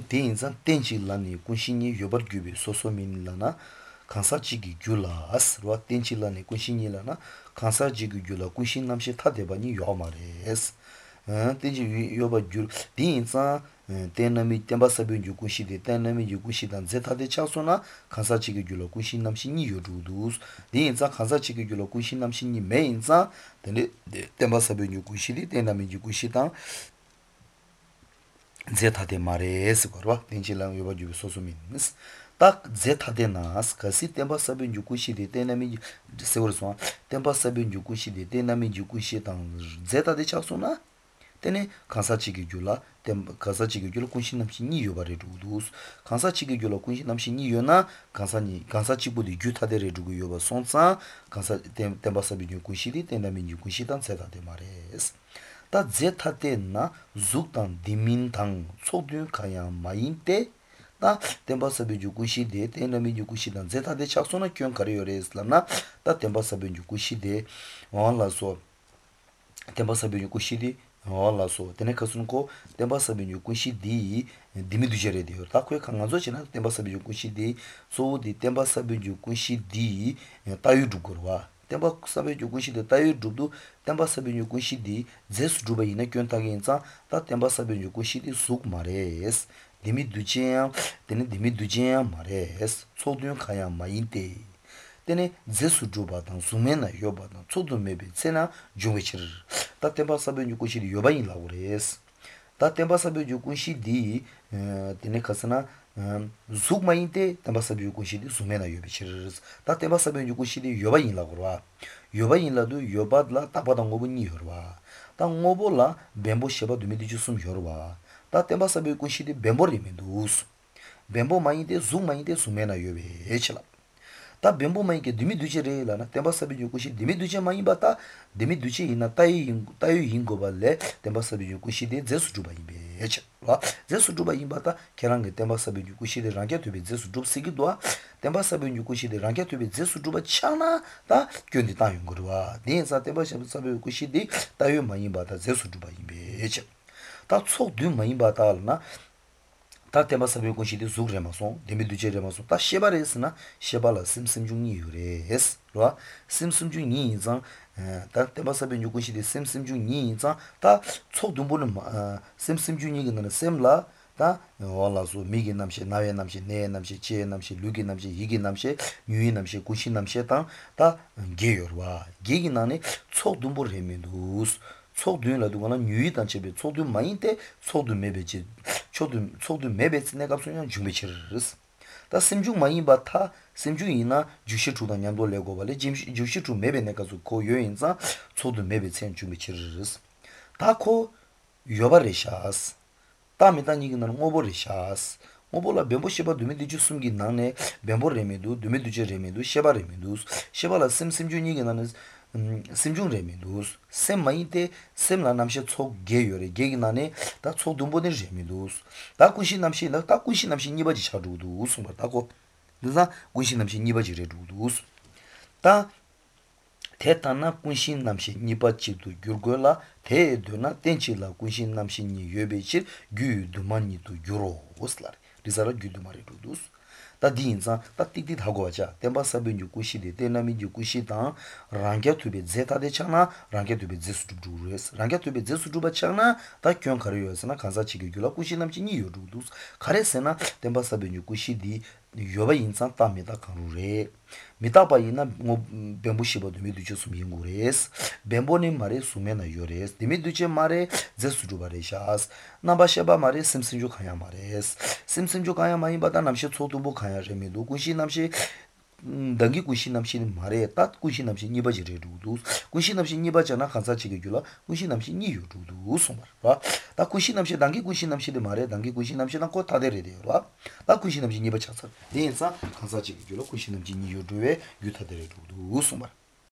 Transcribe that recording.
대인상 땡칠라니 군신이 요벌 규비 소소민라나 간사지기 귤라스 로 땡칠라니 군신이라나 간사지기 귤라 군신 남시 타대바니 요마레스 땡지 요벌 귤 대인상 대나미 템바사변 주군시데 대나미 주군시단 제타데 차소나 간사지기 귤라 군신 남신이 요루두스 대인상 간사지기 귤라 군신 남신이 메인상 템바사변 주군시데 대나미 주군시단 제타데 마레스 거와 땡질랑 요바 주비 소소민스 딱 제타데 나스 카시 템바 사빈 주쿠시데 테나미 세월소 템바 사빈 주쿠시데 테나미 주쿠시당 제타데 차소나 테네 간사치기 줄라 템 간사치기 줄 군신 남신이 요바레 루두스 간사치기 줄 군신 남신이 요나 간사치부디 주타데레 주고 요바 손사 간사 템바 사빈 주쿠시데 테나미 주쿠시당 제타데 마레스 다 제타테나 죽단 디민당 소드 가야 마인테 다 템바사베 주쿠시데 테나미 주쿠시단 제타데 착소나 kyun 카리오레스라나 다 템바사베 주쿠시데 원라소 템바사베 주쿠시디 원라소 테네카순코 템바사베 주쿠시디 디미두제레디요 타코에 강가조 지나 템바사베 주쿠시디 소디 템바사베 주쿠시디 타유두거와 템바 사베 주군시데 타이 두두 템바 사베 주군시디 제스 두바 이나 견타게 인자 다 템바 사베 주군시디 쑥 마레스 디미 두제 데네 디미 두제 마레스 소드용 카야 마인테 데네 제스 두바 당 수메나 요바 당 소드 메베 세나 중웨치르 다 템바 사베 주군시디 요바인 라우레스 다 템바 사베 주군시디 데네 카스나 죽마인데 템바사비 요구시디 수메나 요비치르스 다 템바사비 요구시디 요바인라고 그러와 요바인라도 요바드라 따바당 고분이 여러와 다 ngo보라 뱀보 쉐바 두미디주 숨 여러와 다 템바사비 요구시디 뱀보리메두스 뱀보 마인데 죽마인데 수메나 요비 에치라 다 뱀보 마인게 두미두제레라나 템바사비 요구시 두미두제 마인바타 두미두제 이나 따이 인고발레 템바사비 요구시디 제수 주바이베 에치 와 제수 주바 임바타 케랑게 템바사비 주쿠시데 랑게 투비 제수 줍 시기도아 템바사비 주쿠시데 랑게 투비 제수 줍 차나 다 견디 따용 거와 닌사 템바사비 주쿠시데 따요 마임바타 제수 주바 임베 에치 다 속두 마임바타나 다 템바사비 주쿠시데 zugremason 데미두제레마son 다 셰바레스나 셰발라 심심중니 유레스 와 심심중니 장 다 템바사베 뉴군시데 셈셈중니 다 초dum보는 셈셈중니는 셈라 다 월라소 미기 남시 나웨 남시 네 남시 제 남시 루기 남시 이기 남시 뉴이 남시 구시 남시 다 게여와 게기나네 초dum보를 해면두스 초dum라도 거나 뉴이 단체베 초dum 마인테 초dum 메베지 초dum 메베스 내가 소년 준비치르스 다 심중 많이 바타 심중이나 주시 주다 냠도 레고 발레 주시 주 메베네 가서 고 요인자 초도 메베 첸 준비치르스 다코 요바레샤스 다미단 이기는 오보레샤스 오보라 뱀보시바 두메디 주숨기 나네 뱀보레메도 두메두제 레메도 셰바레메도 셰발라 심중이게 나는 심중레메도스 셈마이데 셈라 남시 초 게요레 게기나네 다 초dum보네 레메도스 다 군신 남시 다 군신 남시 니바지 차루도 우승바 다고 그래서 군신 남시 니바지 레루도스 다 대타나 군신 남시 니바치도 규르고라 대도나 땡치라 군신 남시 니 여베치 규두만니도 유로 오슬라 리자라 규두마리도스 다 디인자 다 틱틱 하고 하자 템바사변 주쿠시데 데나미 주쿠시다 랑게 투베 제타데 차나 랑게 투베 제스두루레스 랑게 투베 제스두바 차나 다 kyun 카리오스나 간사치게 줄라 쿠시남치니 요루두스 카레세나 템바사변 주쿠시디 요바 인산 따미다 카루레 미타바이나 뱀부시보도 미두주스 민구레스 뱀보니 마레 수메나 요레스 디미두체 마레 제스두바레샤스 나바샤바 마레 심심주 카야 마레스 심심주 카야 마이 바다 남시 초두보 카야 레미도 구시 남시 당기 구시 남시 마레 딱 구시 남시 니바지레 루두 구시 남시 니바잖아 간사치게 줄라 구시 남시 니유루두 소마라 딱 구시 남시 당기 구시 남시 마레 당기 구시 남시랑 코 타데레 되어라 딱 구시 남시 니바차서 데인사 간사치게 줄라 구시 남시 니유루에 유타데레 루두 소마라